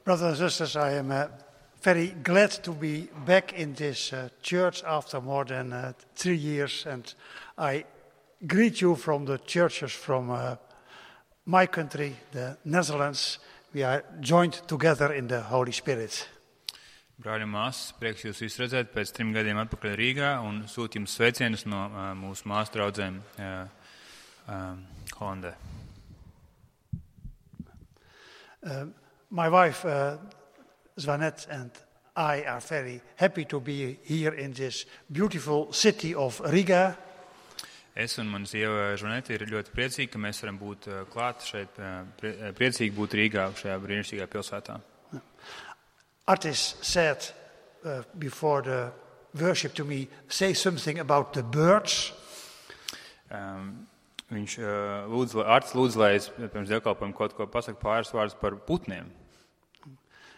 Brothers and sisters, I am very glad to be back in this church after more than 3 years, and I greet you from the churches from my country, the Netherlands. We are joined together in the Holy Spirit. Brāļi un māsas, prieks jūs visus redzēt pēc 3 gadiem atpakaļ Rīgā un sūt jums sveicienus no mūsu māsu draudzēm Holandē. My wife, Zwanette, and I are very happy to be here in this beautiful city of Riga. Es un mana sieva Zvanete ir ļoti priecīgi, ka mēs varam būt klāt šeit, priecīgi būt Rīgā, šajā brīnišķīgā pilsētā. Artis said before the worship to me, say something about the birds. Viņš lūdz, lai es pirms dievkalpojuma kaut ko pasaku pāris vārdus par putniem.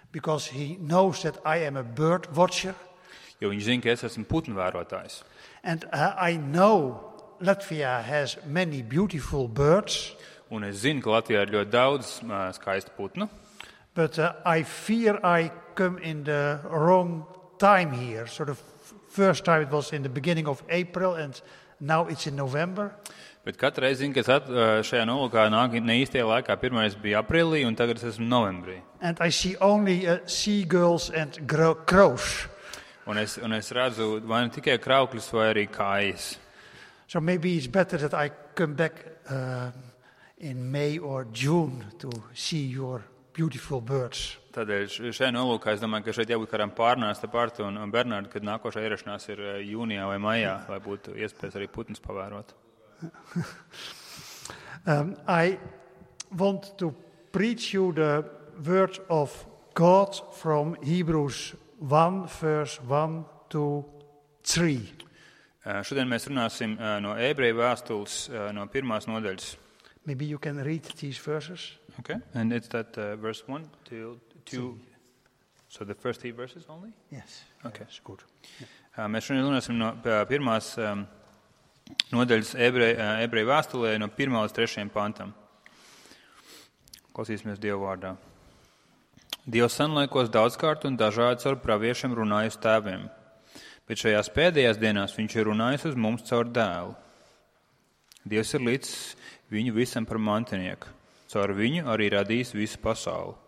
Because he knows that I am a bird watcher. Jo viņš zina, ka es esmu putnu vērotājs. And I know Latvia has many beautiful birds. Un es zinu, ka Latvijā ir ļoti daudz skaistu putnu. But I fear I come in the wrong time here. So the first time it was in the beginning of April and now it's in November. Bet katru reizi zinu, ka es šajā nolūkā nāk ne īstajā laikā. Pirmais bija aprīlī un tagad es esmu novembrī. And I see only seagulls and crows. Un es redzu vai ne tikai kraukļus vai arī kājas. So maybe it's better that I come back in May or June to see your beautiful birds. Tādēļ šajā nolūkā es domāju, ka šeit jābūt kādām pārnās te pārtu un Bernārdu, kad nākošā ierašanās ir jūnijā vai maijā, lai būtu iespējas arī putnus pavērot. I want to preach you the word of God from Hebrews 1, verse 1 to 3. Šodien mēs runāsim no Ebreju vēstules, no 1. nodaļas. Maybe you can read these verses. Okay, and it's that verse 1 to 2. So the first 3 verses only? Yes. Okay. That's good. Mēs šodien runāsim no 1. nodaļas Ebreju vēstulē no 1. līdz 3. pantam. Klausīsimies Dievu vārdā. Dievs senlaikos daudzkārt un dažādi caur praviešiem runājis tēviem, bet šajās pēdējās dienās viņš ir runājis uz mums caur dēlu. Dievs ir līdz viņu visam par mantinieku, caur viņu arī radījis visu pasauli.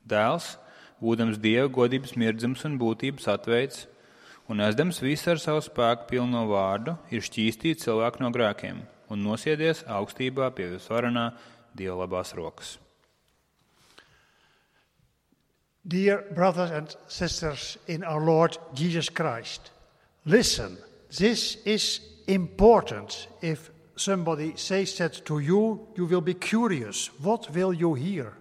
Dēls, būdams Dieva godības mirdzums un būtības atveids, un aizdams visu ar savu spēku pilno vārdu, ir šķīstīt cilvēku no grēkiem un nosiedies augstībā pie visvarenā Dieva labās rokas. Dear brothers and sisters in our Lord Jesus Christ, listen, this is important. If somebody says that to you, you will be curious. What will you hear?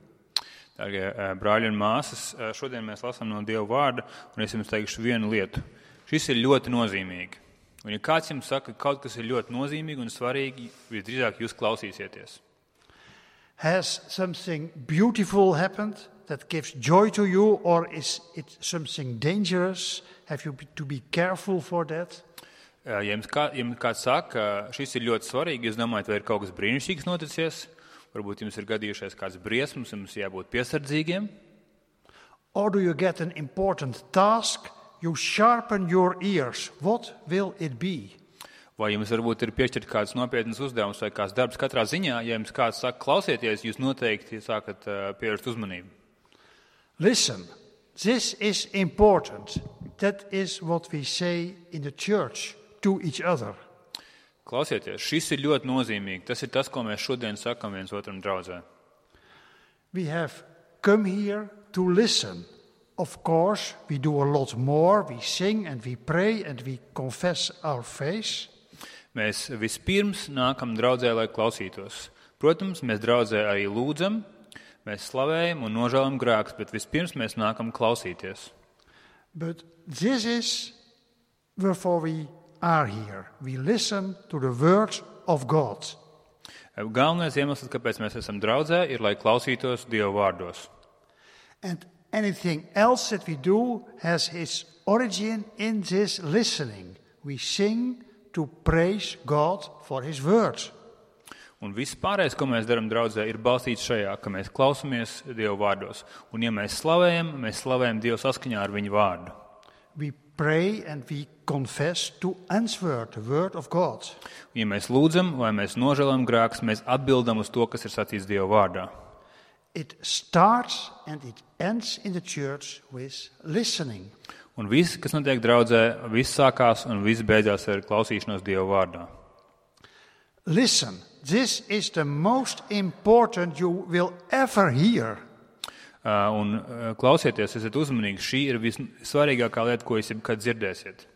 Dārgie brāļi un māsas, šodien mēs lasām no Dieva vārda, un es jums teikšu vienu lietu. Šis ir ļoti nozīmīgi. Un ja kāds jums saka, ka kaut kas ir ļoti nozīmīgi un svarīgi, visdrīzāk jūs klausīsieties. Has something beautiful happened that gives joy to you, or is it something dangerous? Have you to be careful for that? Ja jums kāds saka, ka šis ir ļoti svarīgi, jūs domājat, vai ir kaut kas brīnišķīgs noticies? Varbūt jums ir gadījušies kāds briesmas, jums jābūt piesardzīgiem. Or do you get an important task? You sharpen your ears. What will it be? Vai jums varbūt ir piešķirt kāds nopietnas uzdevums vai kāds darbs katrā ziņā? Ja jums kāds saka, klausieties, jūs noteikti sākat pievērst uzmanību. Listen, this is important. That is what we say in the church to each other. Klausieties, šis ir ļoti nozīmīgi. Tas ir tas, ko mēs šodien sakam viens otram draudzē. We have come here to listen. Of course, we do a lot more. We sing and we pray and we confess our faith. Mēs vispirms nākam draudzē, lai klausītos. Protams, mēs draudzē arī lūdzam, mēs slavējam un nožēlam grēkus, bet vispirms mēs nākam klausīties. But this is wherefore we are here. We listen to the word of God. Galvenais iemesls, kāpēc mēs esam draudzē, ir, lai klausītos Dieva vārdos. And anything else that we do has its origin in this listening. We sing to praise God for His word. Un viss pārējais, ko mēs darām draudzē, ir balstīts šajā, ka mēs klausamies Dieva vārdos. Un ja mēs slavējam Dievu saskaņā ar viņu vārdu. We pray and we confess to answer the word of God. Ja mēs lūdzam vai mēs nožēlojam grēkus, mēs atbildam uz to, kas ir sacīts Dieva vārdā. It starts and it ends in the church with listening. Un viss, kas notiek draudzē, viss sākās un viss beidzās ar klausīšanos Dieva vārdā. Listen, this is the most important you will ever hear. Klausieties, esiet uzmanīgi, šī ir vissvarīgākā lieta, ko jūs jebkad dzirdēsiet.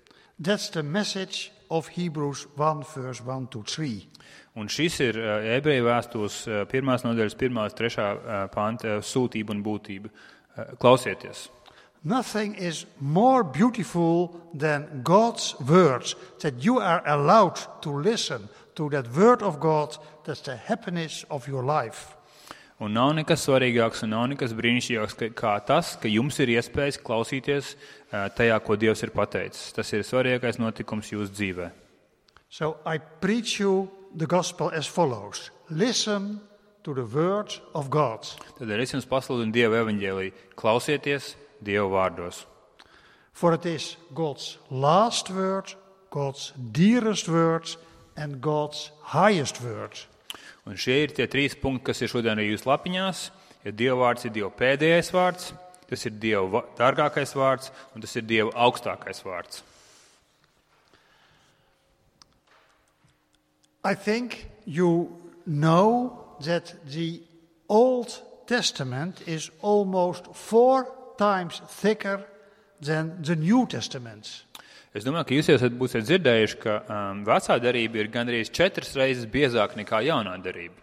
That's the message of Hebrews 1, verse 1-3. Un šis ir ebreju vēstules 1. nodaļas 1.3. panta sūtība un būtība. Klausieties! Nothing is more beautiful than God's words, that you are allowed to listen to that word of God. That's the happiness of your life. Un nav nekas svarīgāks un nav nekas brīnišķīgāks kā tas, ka jums ir iespējas klausīties tajā, ko Dievs ir pateicis. Tas ir svarīgākais notikums jūsu dzīvē. So I preach you the gospel as follows. Listen to the word of God. Tad es jums pasludinu Dieva evaņģēliju. Klausieties Dieva vārdos. For it is God's last word, God's dearest word and God's highest word. Un šie ir tie 3 punkti, kas ir šodien arī jūsu lapiņās. Ja Dieva vārds ir Dieva pēdējais vārds, tas ir Dieva dārgākais vārds un tas ir Dieva augstākais vārds. I think you know that the Old Testament is almost 4 times thicker than the New Testament. Es domāju, ka jūs būsiet dzirdējuši, ka vecā darība ir gandrīz 4 reizes biezāka nekā jaunā darība.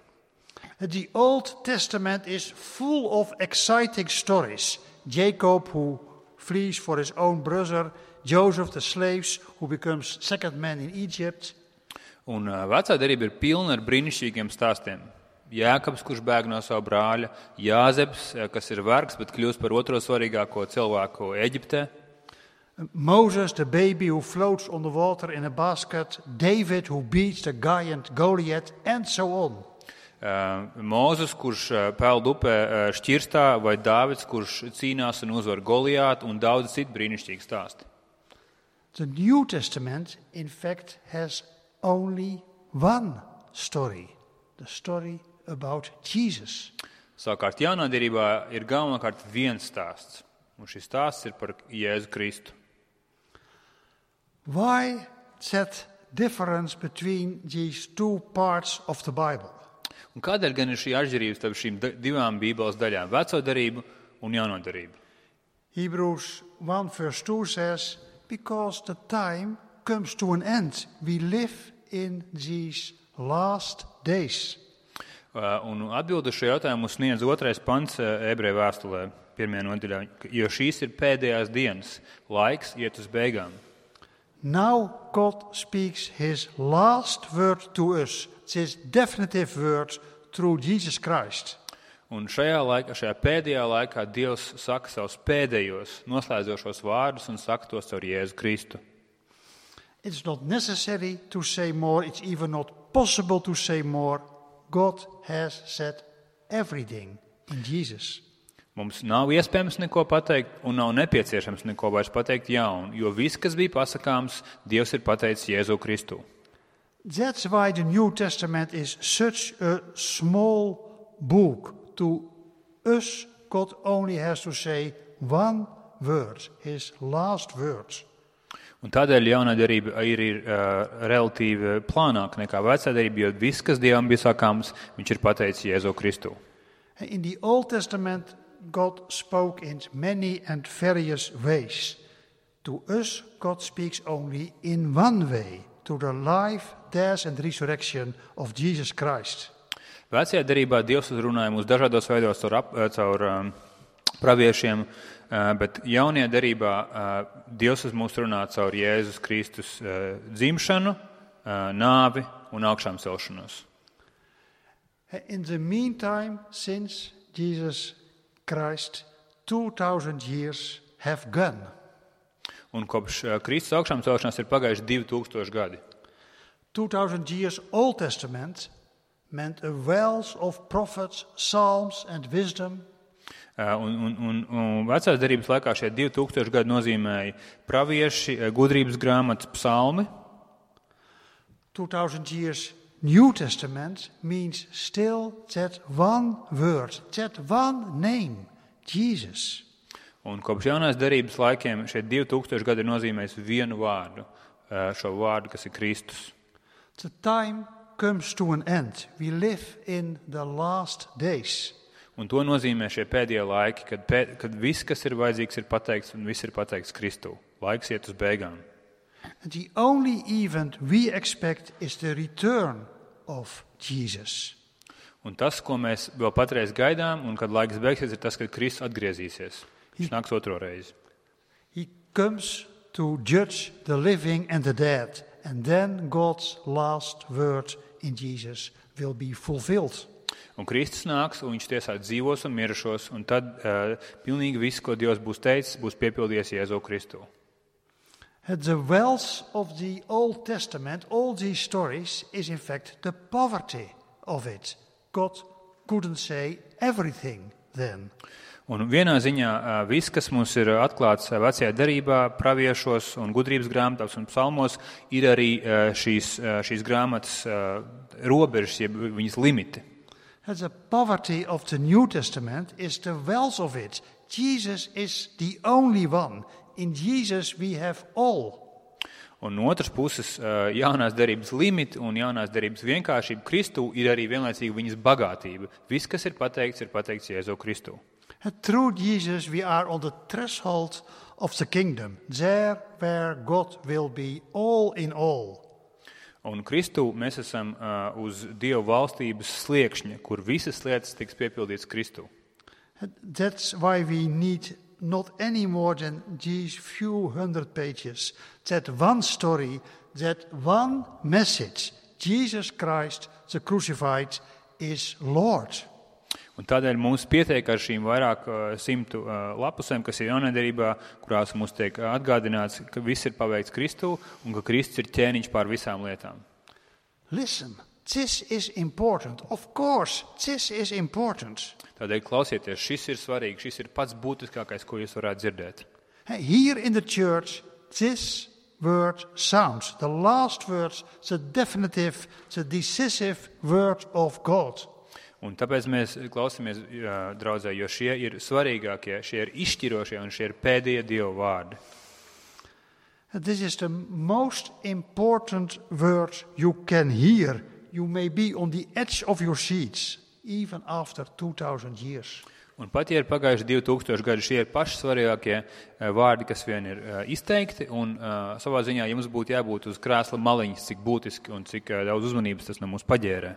The Old Testament is full of exciting stories. Jacob who flees for his own brother, Joseph the slaves who becomes second man in Egypt. Un vecā darība ir pilna ar brīnišķīgiem stāstiem. Jēkabs, kurš bēg no savu brāļa, Jāzeps, kas ir vergs, bet kļūst par otro svarīgāko cilvēku Eģiptē. Moses, the baby who floats on the water in a basket, David who beats the giant Goliath, and so on. Mūzes, kurš peld upē šķirstā, vai Dāvids, kurš cīnās un uzvar Goliātu, un daudz citu brīnišķīgi stāsti. The New Testament, in fact, has only one story, the story about Jesus. Savukārt jaunā derībā ir galvenokārt viens stāsts, un šis stāsts ir par Jēzu Kristu. Why that difference between these 2 parts of the Bible? Un kādēļ gan ir šī atšķirība starp šīm 2 Bībeles daļām, veco darību un jauno darību? Hebrews 1 verse 2 says, because the time comes to an end. We live in these last days. Un atbildu šo jautājumu sniedz 2. pants ebreju vēstulē, 1. nodaļā, jo šīs ir pēdējās dienas, laiks iet uz beigām. Now God speaks his last word to us, his definitive word through Jesus Christ. Un šajā pēdējā laikā Dievs saka savus pēdējos noslēdzošos vārdus un saka tos caur Jēzu Kristu. It's not necessary to say more, it's even not possible to say more. God has said everything in Jesus. Mums nav iespējams neko pateikt un nav nepieciešams neko vairs pateikt jaunu, jo viss, kas bija pasakāms, Dievs ir pateicis Jēzu Kristu. That's why the New Testament is such a small book. To us, God only has to say one word, his last words. Un tādēļ jaunā derība ir relatīvi plānāka nekā vecā derība, jo viss, kas Dievam bija sakāms, viņš ir pateicis Jēzu Kristu. In the Old Testament, God spoke in many and various ways. To us, God speaks only in one way, to the life, death and resurrection of Jesus Christ. Vecajā derībā Dievs uzrunāja mūs dažādos veidos caur praviešiem, bet jaunajā derībā Dievs uz mūs runā caur Jēzus Kristus dzimšanu, nāvi un augšām celšanos. In the meantime, since Jesus Christ, 2000 years have gone. Un kopš Kristus augšām celšanās ir pagājuši 2000 gadi. 2000 years Old Testament, meant a wealth of prophets, psalms and wisdom. Un vecās derības laikā šie 2000 gadi nozīmēja pravieši, gudrības grāmatas, psalmi. 2000 years New Testament means still that one word, that one name, Jesus. Un kopš jaunās derības laikiem šie 2000 gadi ir nozīmējis vienu vārdu, šo vārdu, kas ir Kristus. The time comes to an end. We live in the last days. Un to nozīmē šie pēdējie laiki, kad viss, kas ir vajadzīgs, ir pateikts, un viss ir pateikts Kristū. Laiks iet uz beigām. And the only event we expect is the return of Jesus. Un tas, ko mēs vēl patreiz gaidām, un kad laiks beigsies, ir tas, kad Kristus atgriezīsies. Viņš nāks otro reizi. He comes to judge the living and the dead, and then God's last word in Jesus will be fulfilled. Un Kristus nāks, un viņš tiesā dzīvos un mirušos, un tad pilnīgi viss, ko Dievs būs teicis, būs piepildījies Jēzu Kristu. The wealth of the Old Testament, all these stories, is in fact the poverty of it. God couldn't say everything then. Un vienā ziņā viss, kas mums ir atklāts vecajā derībā, praviešos un gudrības grāmatās un psalmos, ir arī šīs grāmatas robežas, jeb viņas limiti. The poverty of the New Testament is the wealth of it. Jesus is the only one. In Jesus we have all. Un no otras puses, jaunās derības limiti un jaunās derības vienkāršība Kristū ir arī vienlaicīgi viņas bagātība. Viss, kas ir pateikts Jēzu Kristū. Through Jesus we are on the threshold of the kingdom, there where God will be all in all. Un Kristū mēs esam uz Dieva valstības sliekšņa, kur visas lietas tiks piepildītas Kristū. That's why we need not any more than these few hundred pages. That one story, that one message, Jesus Christ, the crucified, is Lord. Un tādēļ mums pietiek ar šīm vairāk 100 lapusēm, kas ir jaunajā, kurās mums tiek atgādināts, ka viss ir paveikts Kristū un ka Kristus ir ķēniņš pār visām lietām. Listen, this is important. Of course, this is important. Tādēļ klausieties, šis ir svarīgi, šis ir pats būtiskākais, ko jūs varētu dzirdēt. Here in the church, this word sounds. The last word, the definitive, the decisive word of God. Un tāpēc mēs klausāmies, draudzē, jo šie ir svarīgākie, šie ir izšķirošie un šie ir pēdējie Dieva vārdi. This is the most important word you can hear. You may be on the edge of your seats, even after 2000 years. Un pat, ja ir pagājuši 2000 gadi, šie ir paši svarīgākie vārdi, kas vien ir izteikti, un savā ziņā jums būtu jābūt uz krēsla maliņas, cik būtiski un cik daudz uzmanības tas no mums paģērē.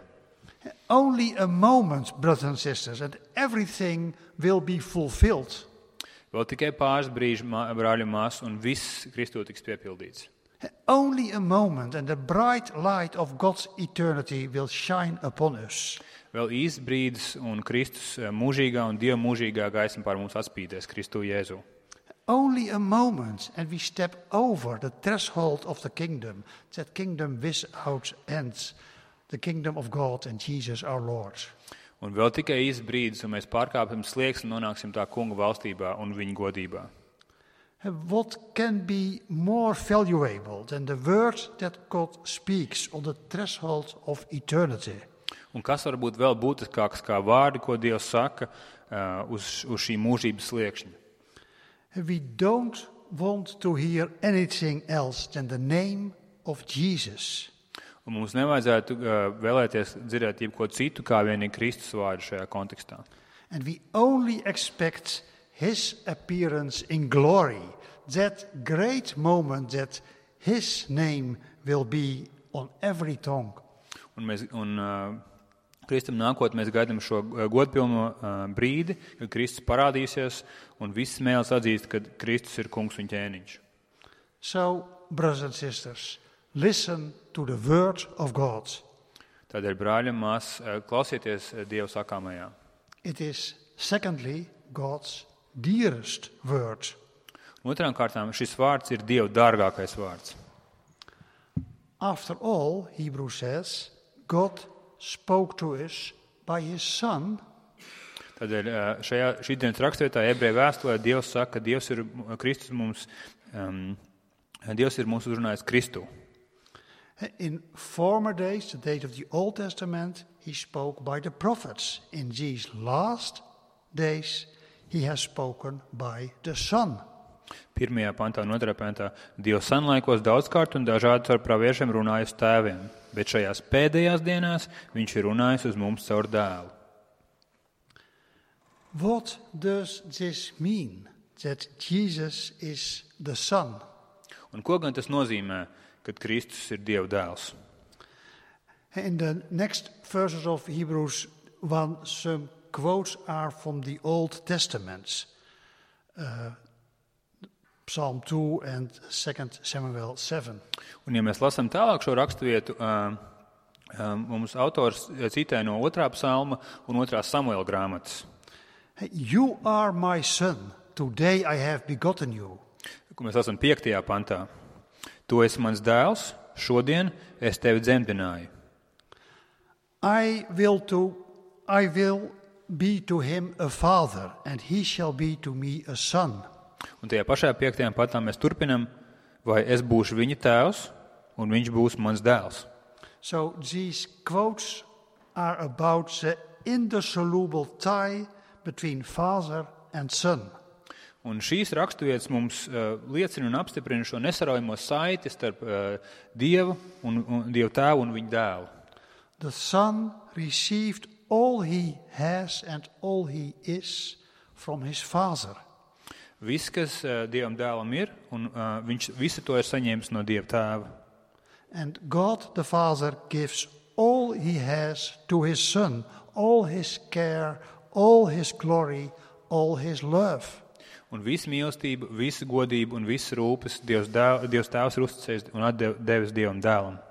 Only a moment, brothers and sisters, and everything will be fulfilled. Vēl tikai pāris brīži, brāļi un māsas, un viss Kristū tiks piepildīts. Only a moment, and the bright light of God's eternity will shine upon us. Vēl īsts brīdis, un Kristus mūžīgā un Dieva mūžīgā gaisma pār mums atspīdēs Kristū Jēzu. Only a moment, and we step over the threshold of the kingdom, that kingdom without end. The kingdom of God and Jesus our Lord. Un vēl tikai īsts brīdis, un mēs pārkāpjam slieksni un nonāksim tā kunga valstībā un viņa godībā. What can be more valuable than the word that God speaks on the threshold of eternity? Un kas var būt vēl būtiskāks kā vārdi, ko Dievs saka uz šī mūžības sliekšņa? We don't want to hear anything else than the name of Jesus. Un mums nevajadzētu vēlēties dzirdēt jebko citu, kā vien ir Kristus vārdu šajā kontekstā. And we only expect his appearance in glory, that great moment that his name will be on every tongue. Un Kristum nākot mēs gaidām šo godpilno brīdi, kad Kristus parādīsies un viss mēls atzīst, ka Kristus ir kungs un ķēniņš. So, brothers and sisters, listen to the word of God. Tādēļ, brāļi un māsas, klausieties Dieva sakāmajā. It is, secondly, God's dearest word. Otrām kārtām, šis vārds ir Dieva dārgākais vārds. After all, Hebrews says, God spoke to us by his Son, Tādēļ šī dienas raksturvietā Ebreju vēstulē Dievs saka, ka Dievs ir mūs uzrunājis Kristu. in former days, the days of the Old Testament, he spoke by the prophets. In these last days, he has spoken by the Son. 1. pantā un 2. pantā Dievs senlaikos daudzkārt un dažādi caur praviešiem runājis tēviem, bet šajās pēdējās dienās viņš ir runājis uz mums caur dēlu. What does this mean, that Jesus is the Son? Un ko gan tas nozīmē, kad Kristus ir Dieva dēls? In the next verses of Hebrews 1, some quotes are from the Old Testament. Psalm 2 and 2 Samuel 7. Un ja mēs lasām tālāk šo raksturvietu, mums autors citē no 2. psalma un 2. Samuela grāmatas. You are my son, today I have begotten you. Ko mēs lasām 5. pantā. Tu esi mans dēls, šodien es tevi dzemdināju. I will be to him a father, and he shall be to me a son. Un tajā pašā 5. pantā mēs turpinam, vai es būšu viņa tēvs, un viņš būs mans dēls. So these quotes are about the indissoluble tie between father and son. Un šīs raksturvietas mums liecina un apstiprina šo nesaraujamo saiti starp Dievu tēvu un viņa dēlu. The son received all he has and all he is from his father. Viss, kas Dievam dēlam ir, un viņš visu to ir saņēmis no Dieva tēva. And God the Father gives all he has to his son, all his care, all his glory, all his love. Un visu mīlestību, visu godību un visu rūpes Dievs tēvs ir uzticējis un atdevis Dievam dēlam.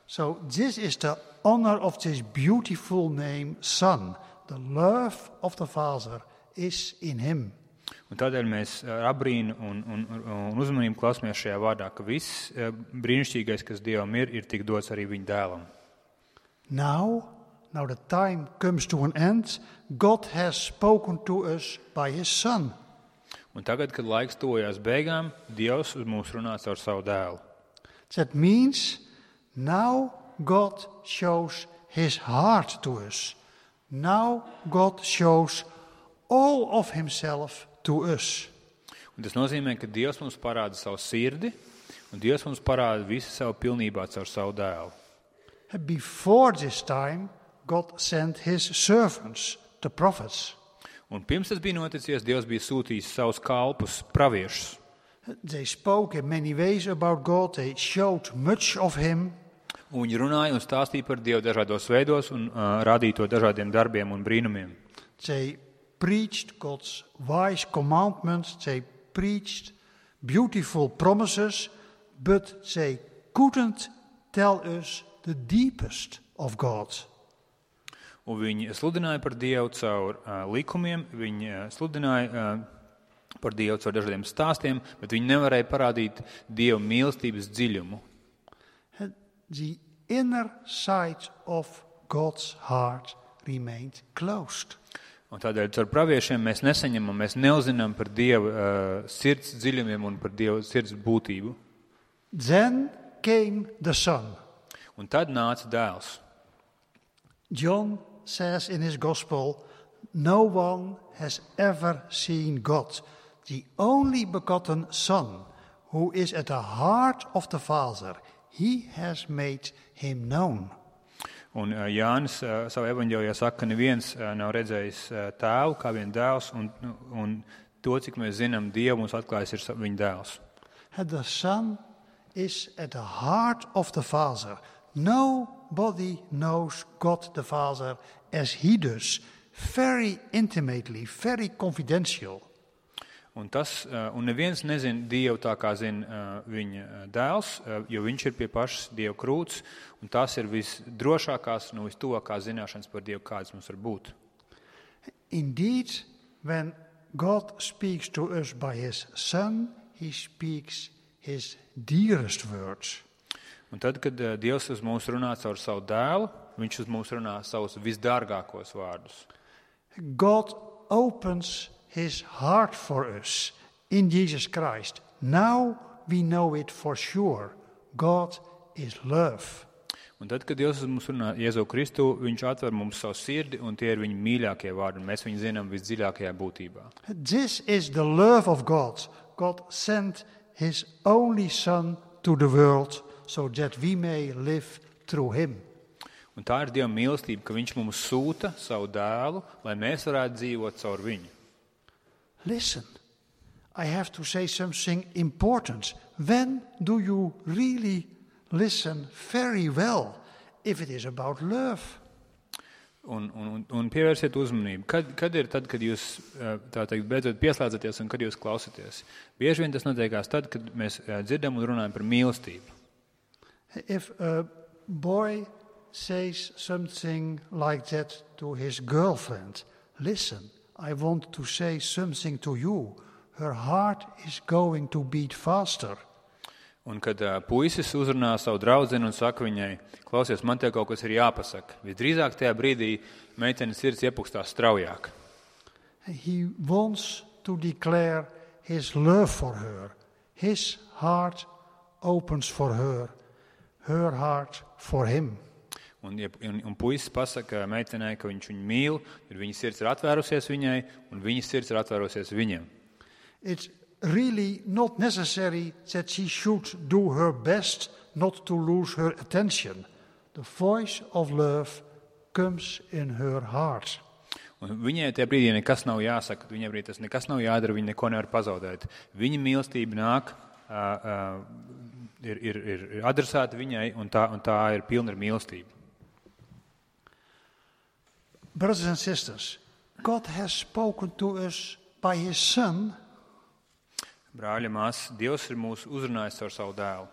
So this is the honor of this beautiful name, Son. The love of the Father is in him. Un tādēļ mēs abrīnu un uzmanību klausāmies šajā vārdā, ka viss brīnišķīgais, kas Dievam ir tik dots arī viņa dēlam. Now the time comes to an end. God has spoken to us by his Son. Un tagad, kad laiks tuvojās beigām, Dievs uz mums runā caur savu dēlu. That means now God shows his heart to us. Now God shows all of himself to us. Un tas nozīmē, ka Dievs mums parāda savu sirdi, un Dievs mums parāda visu savu pilnībā caur savu dēlu. Before this time, God sent his servants, the prophets. Un pirms tas bija noticies, Dievs bija sūtījis savus kalpus, praviešus. They spoke in many ways about God. They showed much of him. Un viņi runāja un stāstīja par Dievu dažādos veidos un rādīja to dažādiem darbiem un brīnumiem. They preached God's wise commandments. They preached beautiful promises, but they couldn't tell us the deepest of God. Un viņi sludināja par Dievu caur likumiem, viņi sludināja par Dievu caur dažādiem stāstiem, bet viņi nevarēja parādīt Dieva mīlestības dziļumu. The inner side of God's heart remained closed. Un tādēļ caur praviešiem mēs nesaņemam, mēs neuzinām par Dieva sirds dziļumiem un par Dieva sirds būtību. Then came the Son. Un tad nāca dēls. John says in his gospel, no one has ever seen God, the only begotten Son, who is at the heart of the Father. He has made him known. Un Jānis savā evaņģēlijā saka, ka neviens nav redzējis tēvu kā vien dēls, un to, cik mēs zinām, Dievu mums atklājis ir viņa dēls. The Son is at the heart of the Father. Nobody knows God the Father as he does, very intimately, very confidential. Un neviens nezina Dievu tā kā zina viņa dēls, jo viņš ir pie pašas Dieva krūts, un tās ir visdrošākās un vistuvākās zināšanas par Dievu, kādas mums var būt. Indeed, when God speaks to us by his Son, he speaks his dearest words. Un tad, kad Dievs uz mums runā caur savu dēlu, viņš uz mums runā savus visdārgākos vārdus. God opens his heart for us in Jesus Christ. Now we know it for sure. God is love. Un tad, kad Dievs uz mums runā Jēzu Kristu, viņš atver mums savu sirdi, un tie ir viņa mīļākie vārdi, un mēs viņu zinām visdziļākajā būtībā. This is the love of God. God sent his only Son to the world so that we may live through him. Un tā ir Dieva mīlestība, ka viņš mums sūta savu dēlu, lai mēs varētu dzīvot caur viņu. Listen, I have to say something important. When do you really listen very well if it is about love? Un pievērsiet uzmanību. Kad ir tad, kad jūs tā teikt, beidzot pieslēdzaties un kad jūs klausaties? Bieži vien tas notiekās tad, kad mēs dzirdam un runājam par mīlestību. If a boy says something like that to his girlfriend, listen, I want to say something to you. Her heart is going to beat faster. Un kad puisis uzrunā savu draudzeni un saka viņai, klausies, man te kaut kas ir jāpasaka. Visdrīzāk tajā brīdī meitenes sirds iepukstās straujāk. He wants to declare his love for her. His heart opens for her. Her heart for him. Un puisis pasaka meitenei, ka viņš viņu mīl, tad viņa sirds ir atvērusies viņai, un viņa sirds ir atvērusies viņam. It's really not necessary that she should do her best not to lose her attention. The voice of love comes in her heart. Un viņai tajā brīdī nekas nav jāsaka, viņai brīdī tas nekas nav jādara, viņa neko nevar pazaudēt. Viņa mīlestība nāk, ir adresēta viņai, un tā ir pilna ar mīlestību. Brothers and sisters, God has spoken to us by his Son. Brāļi, māsas, Dievs ir mūs uzrunājis ar savu dēlu.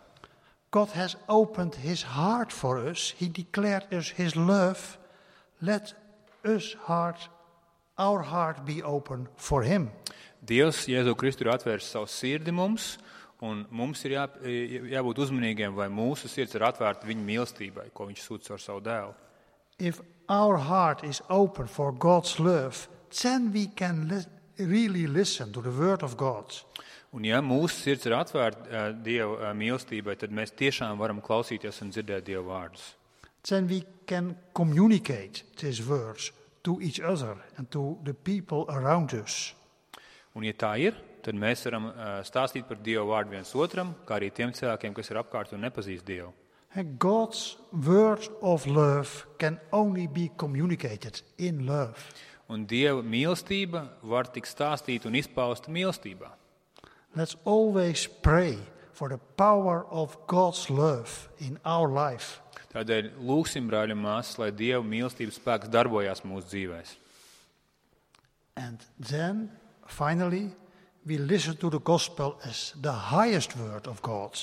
God has opened his heart for us. He declared us his love. Let our heart be open for him. Dievs, Jēzu Kristu, ir atvērs savu sirdi mums, un mums ir jābūt uzmanīgiem, vai mūsu sirds ir atvērta viņa mīlestībai, ko viņš sūta ar savu dēlu. If our heart is open for God's love, then we can really listen to the word of God. Un ja mūsu sirds ir atvērta Dieva mīlestībai, tad mēs tiešām varam klausīties un dzirdēt Dieva vārdus. Then we can communicate these words to each other and to the people around us. Un ja tā ir, tad mēs varam stāstīt par Dieva vārdu viens otram, kā arī tiem cilvēkiem, kas ir apkārt un nepazīst Dievu. And God's word of love can only be communicated in love. Un Dieva mīlestība var tik stāstīt un izpaust mīlestībā. Let's always pray for the power of God's love in our life. Tādēļ lūgsim, brāļi un māsas, lai Dieva mīlestības spēks darbojās mūsu dzīvēs. And then, finally, we listen to the gospel as the highest word of God.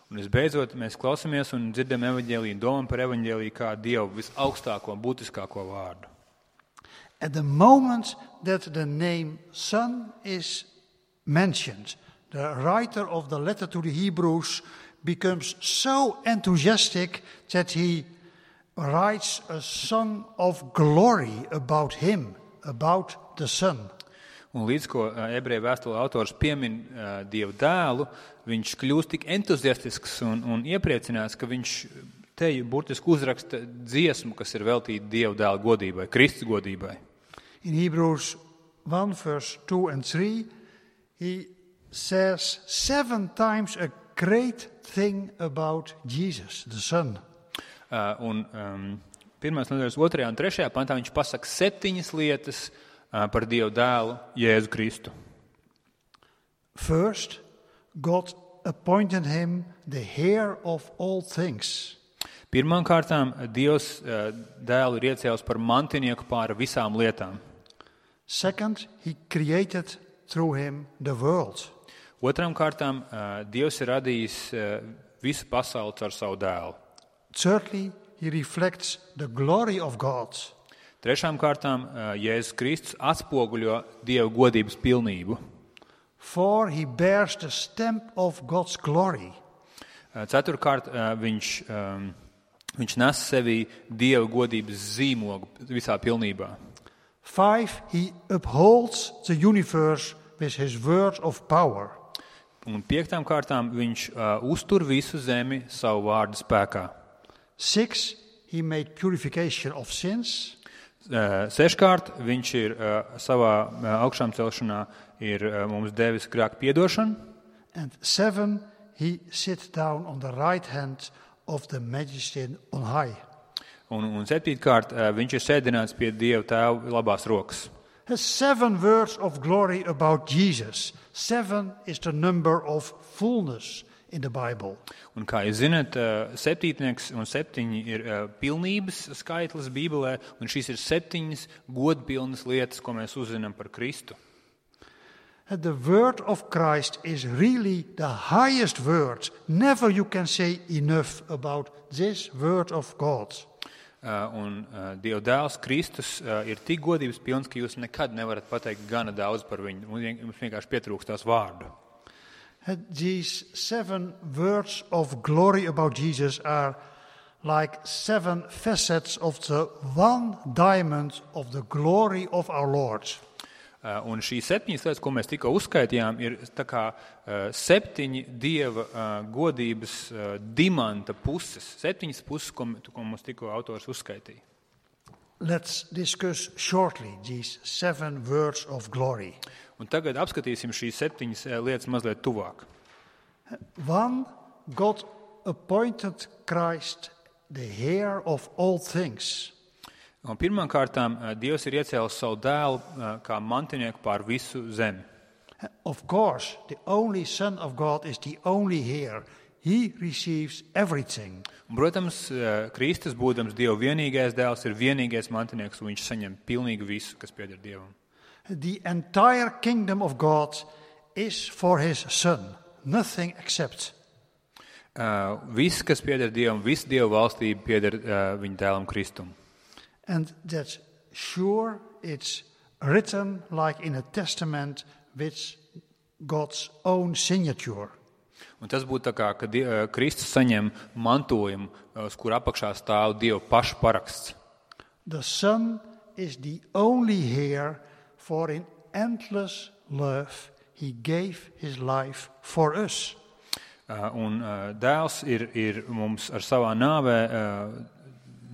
Un visbeidzot, mēs klausamies un dzirdam evaņģēliju, domam par evaņģēliju kā Dievu visaugstāko un būtiskāko vārdu. At the moment that the name Son is mentioned, the writer of the letter to the Hebrews becomes so enthusiastic that he writes a song of glory about him, about the Son. Un līdz ko ebreju vēstule autors piemin Dievu dēlu, viņš kļūst tik entuziastisks un iepriecināts, ka viņš te burtiski uzraksta dziesmu, kas ir veltīta Dievu dēla godībai, Kristus godībai. In Hebrews 1, verse 2 and 3, he says 7 times a great thing about Jesus, the Son. Un 1. nodaļas 2. un 3. pantā viņš pasaka 7 lietas par Dievu dēlu, Jēzu Kristu. First, God appointed him the heir of all things. Pirmām kārtām Dievs dēlu ir iecēlis par mantinieku pār visām lietām. Second, he created through him the world. Otrām kārtām Dievs ir radījis visu pasauli ar savu dēlu. Thirdly, he reflects the glory of God. Trešām kārtām Jēzus Kristus atspoguļo Dieva godības pilnību. For he bears the stamp of God's glory. Ceturtkārt, viņš Viņš nes sevī Dieva godības zīmogu visā pilnībā. 5, he upholds the universe with his word of power. Un 5. kārtām viņš uztur visu zemi savu vārdu spēkā. 6, he made purification of sins. 6. viņš ir savā augšām celšanā ir mums devis grēku piedošanu. And 7, he sits down on the right hand of the Majesty on high. Un 7. viņš ir sēdināts pie Dieva Tēva labās rokas. Has 7 words of glory about Jesus. 7 is the number of fullness in the Bible. Un kā jūs zināt, 7 un 7 ir pilnības skaitlis Bībelē, un šīs ir 7 godpilnas lietas, ko mēs uzzinām par Kristu. And the word of Christ is really the highest word. Never you can say enough about this word of God. Un Dieva dēls Kristus ir tik godības pilns, ka jūs nekad nevarat pateikt gana daudz par viņu. Mums vienkārši pietrūkst tās vārdu. These 7 words of glory about Jesus are like 7 facets of the one diamond of the glory of our Lord. Un šīs 7 lietas, ko mēs tikko uzskaitījām, ir tā kā 7 Dieva godības dimanta puses. 7 puses, ko mums tikko autors uzskaitīja. Let's discuss shortly these 7 words of glory. Un tagad apskatīsim šīs 7 lietas mazliet tuvāk. 1, God appointed Christ the heir of all things. Un pirmām kārtām Dievs ir iecēlis savu dēlu kā mantinieku pār visu zemi. Of course, the only Son of God is the only heir. He receives everything. Un, protams, Kristus, būdams Dieva vienīgais dēls, ir vienīgais mantinieks, un viņš saņem pilnīgi visu, kas pieder Dievam. The entire kingdom of God is for his Son, nothing except. Viss, kas pieder Dievam, viss Dieva valstība pieder viņa dēlam Kristum. And that's sure it's written like in a testament with God's own signature. Un tas būtu tā kā, kad Kristus saņem mantojumu, uz kur apakšā stāv Dieva paša paraksts. The Son is the only heir, for in endless love he gave his life for us. Un dēls ir mums ar savā nāvē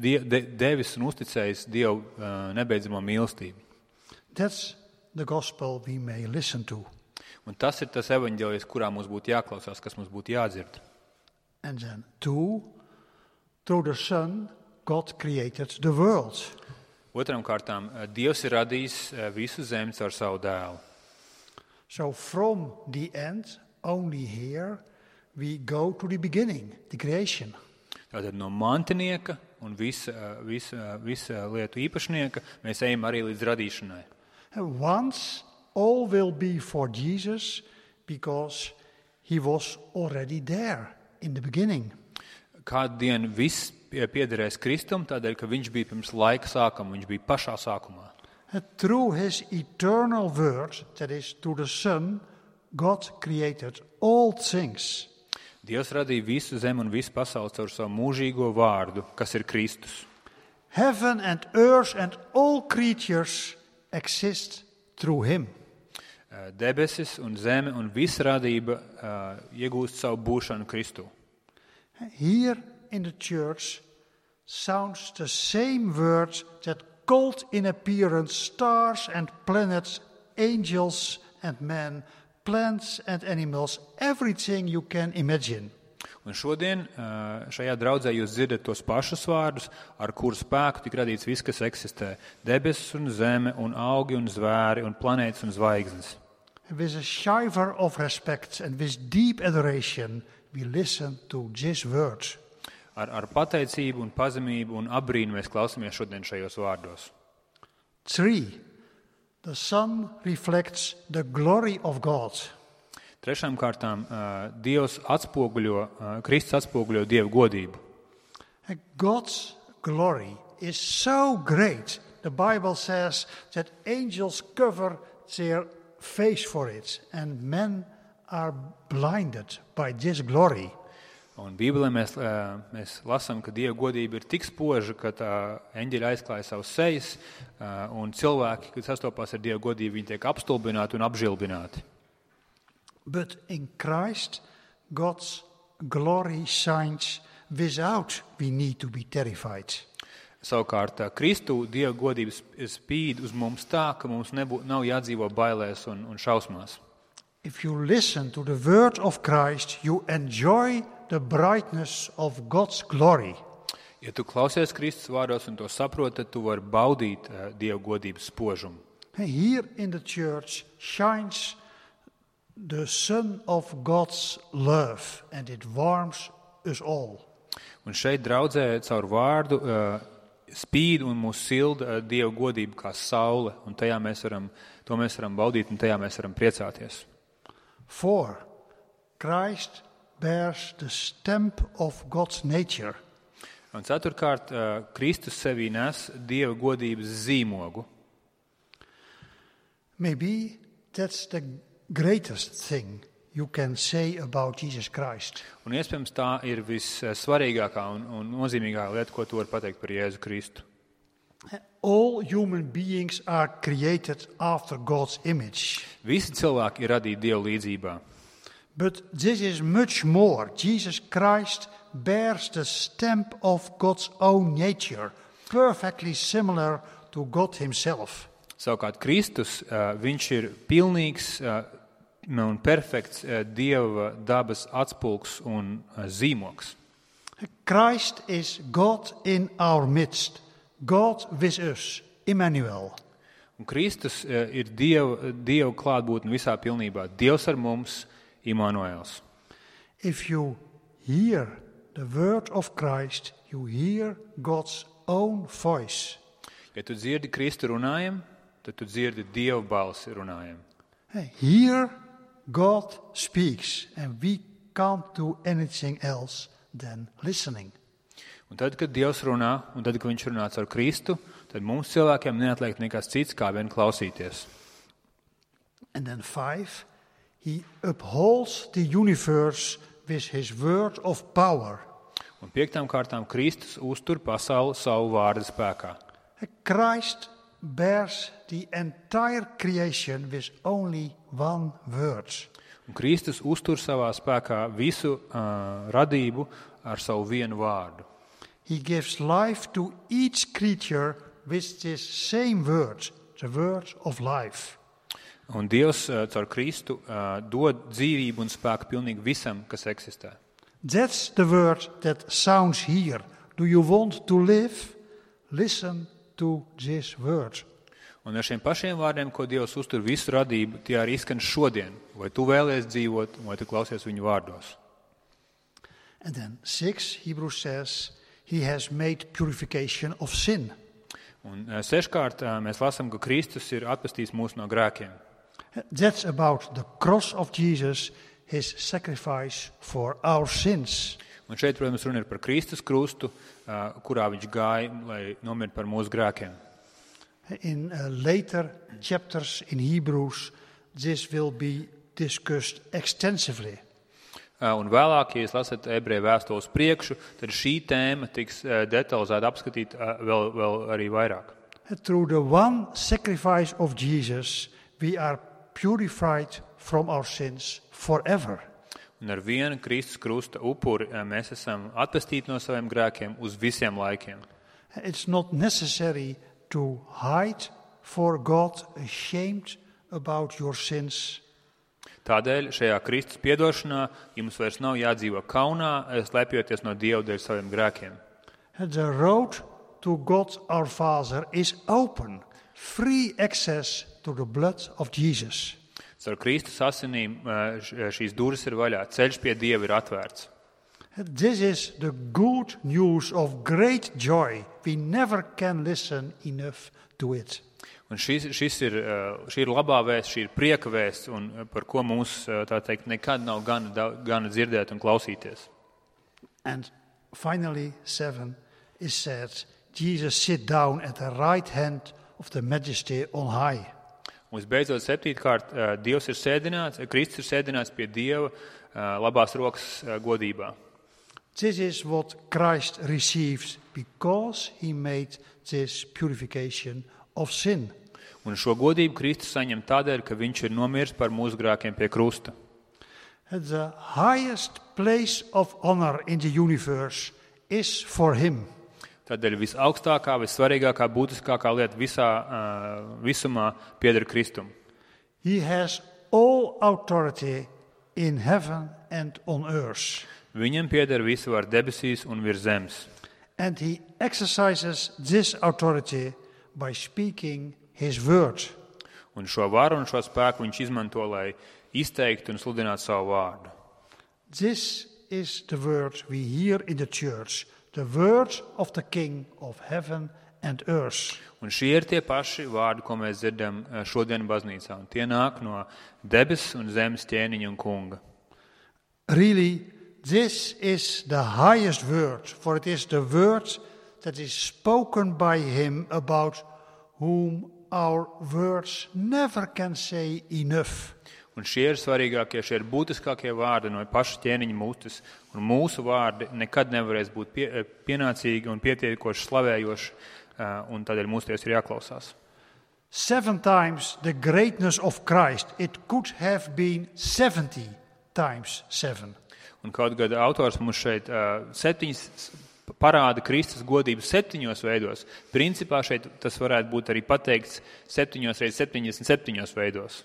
devis un uzticējis Dievu nebeidzamo mīlestību. That's the gospel we may listen to. Un tas ir tas evaņģēlijs, kurā mums būtu jāklausās, kas mums būtu jādzird. And then 2, through the Son, God created the world. Otram kārtām, Dievs ir radījis visu zemi caur savu dēlu. So from the end, only here, we go to the beginning, the creation. Tātad no mantinieka un visa lietu īpašnieka mēs ejam arī līdz radīšanai. And once all will be for Jesus because he was already there in the beginning. Kādu dienu viss piederēs Kristum, tādēļ, ka viņš bija pirms laika sākuma, viņš bija pašā sākumā. And through his eternal word, that is through the Son, God created all things. Dievs radīja visu zemi un visu pasauli caur savu mūžīgo vārdu, kas ir Kristus. Heaven and earth and all creatures exist through him. Debesis un zeme un visa radība iegūst savu būšanu Kristu. Here in the church sounds the same words that called in appearance stars and planets, angels and men, plants and animals, everything you can imagine. Un šodien šajā draudzē jūs dzirdat tos pašus vārdus, ar kuru spēku tik radīts viss, kas eksistē. Debesis un zeme un augi un zvēri un planētas un zvaigznes. With a shiver of respect and with deep adoration, we listen to this word. Ar pateicību un pazemību un abrīnu mēs klausamies šodien šajos vārdos. 3. The Son reflects the glory of God. Trešām kārtām Kristus atspoguļo Dieva godību. God's glory is so great. The Bible says that angels cover their face for it and men are blinded by this glory. Un Bībelē mēs lasām, ka Dieva godība ir tik spoža, ka eņģeļi aizklāja savus sejas, un cilvēki, kad sastopās ar Dieva godību, viņi tiek apstulbināti un apžilbināti. But in Christ, God's glory shines without we need to be terrified. Savukārt, Kristu Dieva godības spīd uz mums tā, ka mums nav jādzīvo bailēs un šausmās. If you listen to the word of Christ, you enjoy the brightness of God's glory. Ja tu klausies Kristus vārdos un to saproti, tad tu vari baudīt Dieva godības spožumu. Here in the church shines the sun of God's love, and it warms us all. Un šeit draudzē caur vārdu spīd un mūs silda Dieva godība kā saule, un to mēs varam baudīt un tajā mēs varam priecāties. For Christ bears the stamp of God's nature. Un ceturkārt, Kristus sevī nes Dieva godības zīmogu. Maybe that's the greatest thing you can say about Jesus Christ. Un iespējams tā ir vissvarīgākā un nozīmīgākā lieta, ko tu vari pateikt par Jēzu Kristu. All human beings are created after God's image. Visi cilvēki ir radīti Dieva līdzībā. But this is much more. Jesus Christ bears the stamp of God's own nature, perfectly similar to God himself. Savukārt Kristus, viņš ir pilnīgs un perfekts Dieva dabas atspulgs un zīmogs. Christ is God in our midst, God with us, Emmanuel. Un Kristus ir Dieva klātbūtne visā pilnībā. Dievs ar mums, Immanuels. If you hear the word of Christ, you hear God's own voice. Ja tu dzirdi Kristu runājam, tad tu dzirdi Dieva balsi runājam. Here God speaks, and we can't do anything else than listening. Un tad, kad Dievs runā, un tad, kad viņš runā caur Kristu, tad mums cilvēkiem neatliek nekas cits, kā vien klausīties. And then 5, he upholds the universe with his word of power. Un 5. kārtām Kristus uztur pasauli savu vārda spēkā. Christ bears the entire creation with only one word. Un Kristus uztur savā spēkā visu radību ar savu vienu vārdu. He gives life to each creature with this same word, the word of life. Un Dievs caur Kristu dod dzīvību un spēku pilnīgi visam, kas eksistē. That's the word that sounds here. Do you want to live? Listen to this word. Un ar šiem pašiem vārdiem, ko Dievs uztur visu radību, tie arī izskan šodien. Vai tu vēlies dzīvot, vai tu klausies viņu vārdos. And then 6, Hebrews says, he has made purification of sin. Un 6. mēs lasām, ka Kristus ir atpestījis mūs no grēkiem. That's about the cross of Jesus, his sacrifice for our sins. Un šeit, protams, runa ir par Kristus krustu, kurā viņš gāja, lai nomirtu par mūsu grēkiem. In later chapters in Hebrews, this will be discussed extensively. Un vēlāk, ja jūs lasat ebreju vēstules priekšu, tad šī tēma tiks detalizēti apskatīta vēl arī vairāk. Through the one sacrifice of Jesus, we are purified from our sins forever. Un ar vienu Kristus krusta upuri mēs esam atpestīti no saviem grēkiem uz visiem laikiem. It's not necessary to hide for God, ashamed about your sins. Tādēļ šajā Kristus piedošanā jums vairs nav jādzīvo kaunā, slēpjoties no Dieva dēļ saviem grēkiem. The road to God our Father is open, free access to the blood of Jesus. Ar Kristus asinīm šīs durvis ir vaļā, ceļš pie Dieva ir atvērts. This is the good news of great joy. We never can listen enough to it. Un šī ir labā vēsts, šī ir prieka vēsts, un par ko mums, tā teikt, nekad nav gana dzirdēt un klausīties. And finally, 7 is said, Jesus sit down at the right hand of the Majesty on high. Un visbeidzot, 7. Dievs ir sēdināts, Kristus ir sēdināts pie Dieva labās rokas godībā. This is what Christ receives because he made this purification of sin. Un šo godību Kristus saņem tādēļ, ka viņš ir nomiris par mūsu grēkiem pie krusta. The highest place of honor in the universe is for him. Tādēļ visaugstākā, vissvarīgākā, būtiskākā lieta visumā pieder Kristum. He has all authority in heaven and on earth. Viņam pieder visu var debesīs un virs zemes. And he exercises this authority by speaking his word. Un šo varu un šo spēku viņš izmanto, lai izteiktu un sludinātu savu vārdu. This is the word we hear in the church, the word of the King of heaven and earth. Un šie ir tie paši vārdi, ko mēs dzirdam šodien baznīcā. Un tie nāk no debes un zemes ķēniņa un kunga. Really, this is the highest word, for it is the word that is spoken by him about whom our words never can say enough. Un šie ir svarīgākie, šie ir būtiskākie vārdi no paša ķēniņa mutes, un mūsu vārdi nekad nevarēs būt pienācīgi un pietiekoši slavējoši, un tādēļ mūsu ties ir jāklausās. 7 times the greatness of Christ, it could have been 70 times 7. Un kaut gada autors mums šeit parāda Kristus godību 7 veidos. Principā šeit tas varētu būt arī pateikts 7 reizes 77 veidos.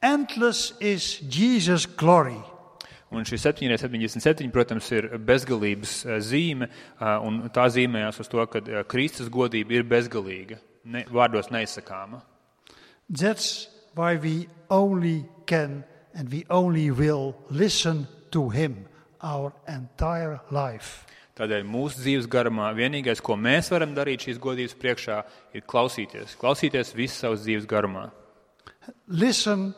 Endless is Jesus' glory. Un šī 7 reizes 77, protams, ir bezgalības zīme, un tā zīmējās uz to, ka Kristus godība ir bezgalīga, vārdos neizsakāma. That's why we only can and we only will listen to him our entire life. Tādēļ mūsu dzīves garumā vienīgais, ko mēs varam darīt šīs godības priekšā, ir klausīties visu savas dzīves garumā. Listen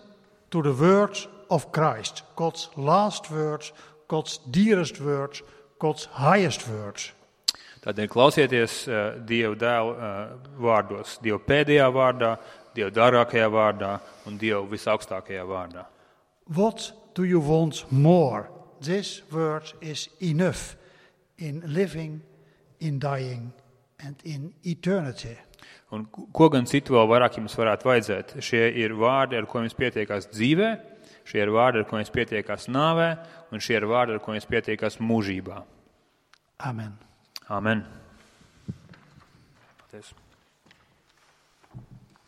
to the words of Christ, God's last words, God's dearest words, God's highest words. Tādēļ klausieties Dieva dēla vārdos, Dieva pēdējā vārdā, Dieva dārgākajā vārdā un Dieva visaugstākajā vārdā. What do you want more? This word is enough in living, in dying and in eternity. Un ko gan citu vēl vairāk jums varētu vajadzēt? Šie ir vārdi, ar ko jums pietiekās dzīvē, šie ir vārdi, ar ko jums pietiekās nāvē, un šie ir vārdi, ar ko jums pietiekās mūžībā. Amen. Amen. Paldies.